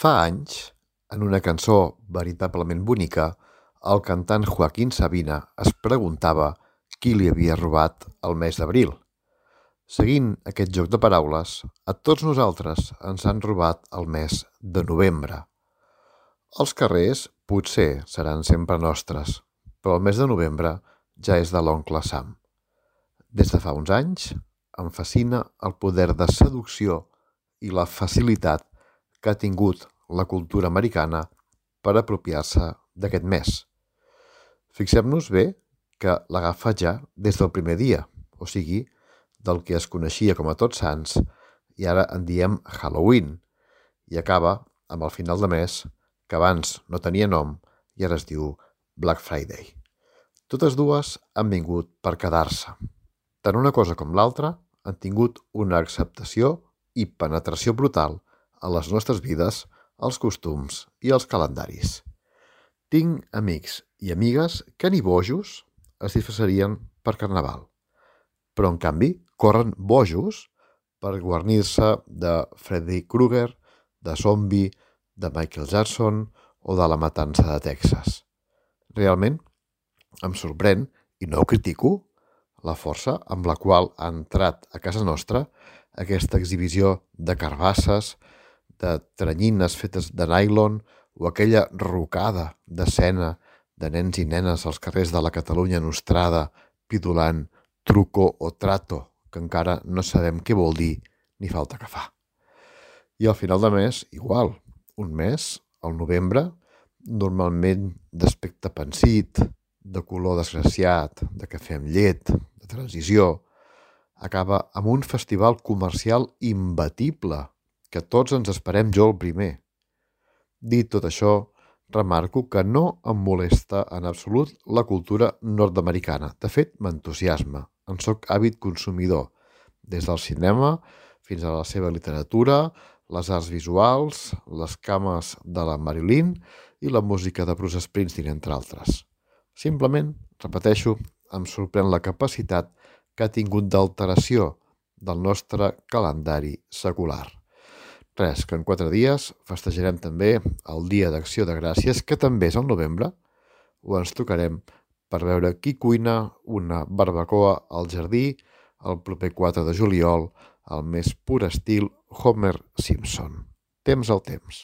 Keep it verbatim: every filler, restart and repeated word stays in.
Fa anys, en una cançó veritablement bonica, el cantant Joaquín Sabina es preguntava qui li havia robat el mes d'abril. Seguint aquest joc de paraules, a tots nosaltres ens han robat el mes de novembre. Els carrers potser seran sempre nostres, però el mes de novembre ja és de l'oncle Sam. Des de fa uns anys em fascina el poder de seducció i la facilitat que ha tingut la cultura americana per apropiar-se d'aquest mes. Fixem-nos bé que l'agafa ja des del primer dia, o sigui, del que es coneixia com a Tots Sants i ara en diem Halloween, i acaba amb el final de mes que abans no tenia nom i ara es diu Black Friday. Totes dues han vingut per quedar-se. Tant una cosa com l'altra han tingut una acceptació i penetració brutal a les nostres vides, als costums i als calendaris. Tinc amics i amigues que ni bojos es disfressarien per Carnaval, però en canvi corren bojos per guarnir-se de Freddy Krueger, de Zombie, de Michael Jackson o de la Matança de Texas. Realment em sorprèn, i no ho critico, la força amb la qual ha entrat a casa nostra aquesta exhibició de carbasses, de teranyines fetes de nylon o aquella rocada d'escena de nens i nenes als carrers de la Catalunya nostrada pidolant truco o trato, que encara no sabem què vol dir ni falta que fa. I al final de mes, igual, un mes, el novembre, normalment d'aspecte pansit, de color desgraciat, de cafè amb llet, de transició, acaba amb un festival comercial imbatible, que tots ens esperem jo el primer. Dit tot això, remarco que no em molesta en absolut la cultura nord-americana. De fet, m'entusiasma. En soc àvid consumidor, des del cinema fins a la seva literatura, les arts visuals, les cames de la Marilyn i la música de Bruce Springsteen, entre altres. Simplement, repeteixo, em sorprèn la capacitat que ha tingut d'alteració del nostre calendari secular. Res, que en quatre dies festejarem també el Dia d'Acció de Gràcies, que també és al novembre, o ens tocarem per veure qui cuina una barbacoa al jardí el proper quatre de juliol, al més pur estil Homer Simpson. Temps al temps.